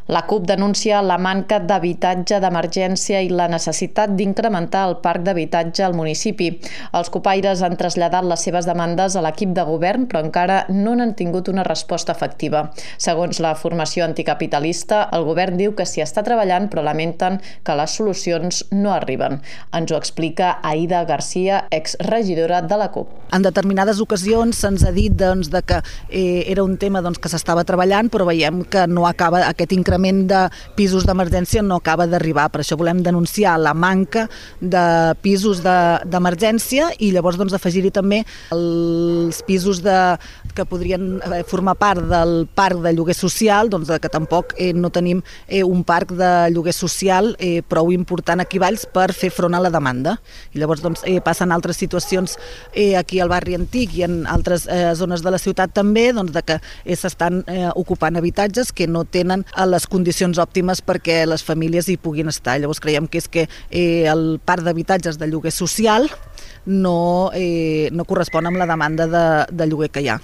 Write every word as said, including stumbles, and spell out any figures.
La CUP denuncia la manca d'habitatge d'emergència i la necessitat d'incrementar el parc d'habitatge al municipi. Els copaires han traslladat les seves demandes a l'equip de govern, però encara no n'han tingut una resposta efectiva. Segons la formació anticapitalista, el govern diu que s'hi està treballant, però lamenten que les solucions no arriben. Ens ho explica Aida Garcia, exregidora de la CUP. En determinades ocasions se'ns ha dit doncs, de que eh, era un tema doncs, que s'estava treballant, però veiem que no acaba aquest increment de pisos d'emergència no acaba d'arribar. Per això volem denunciar la manca de pisos d'emergència de, i llavors doncs, afegir-hi també els pisos de, que podrien formar part del parc de lloguer social, doncs, que tampoc eh, no tenim eh, un parc de lloguer social eh, prou important aquí a Valls per fer front a la demanda. I llavors doncs, eh, passen altres situacions eh, aquí al barri antic i en altres eh, zones de la ciutat també, doncs, de que eh, s'estan eh, ocupant habitatges que no tenen a les condicions òptimes perquè les famílies hi puguin estar. Llavors creiem que és que eh, el parc d'habitatges de lloguer social no, eh, no correspon amb la demanda de, de lloguer que hi ha.